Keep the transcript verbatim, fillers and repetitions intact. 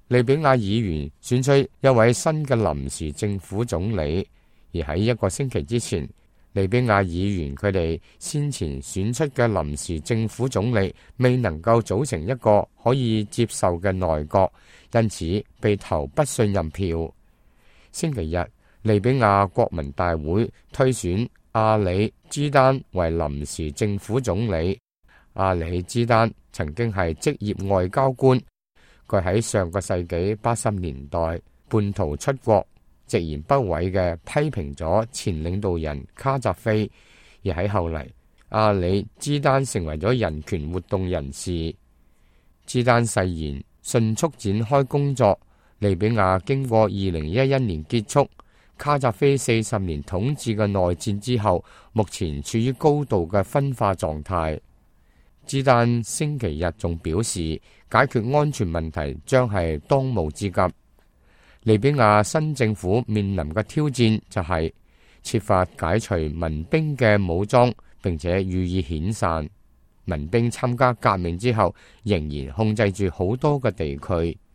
利比亞議員選出一位新嘅臨時政府總理，而喺一個星期之前，利比亞議員佢哋先前選出嘅臨時政府總理未能夠組成一個可以接受嘅內閣，因此被投不信任票。星期日，利比亞國民大會推選阿里茲丹為臨時政府總理。阿里茲丹曾經係職業外交官，佢喺上個世紀八十年代叛逃出國，直言不諱嘅批評咗前領導人卡扎菲，而喺後嚟，阿里茲丹成為咗人權活動人士。茲丹誓言迅速展開工作。利比亞經過二零一一年結束卡扎菲四十年統治嘅內戰之後，目前處於高度嘅分化狀態。茲丹星期日仲表示，解決安全問題將係當務之急。利比亞新政府面臨嘅挑戰就係設法解除民兵嘅武裝，並且予以遣散。民兵參加革命之後，仍然控制住好多嘅地區。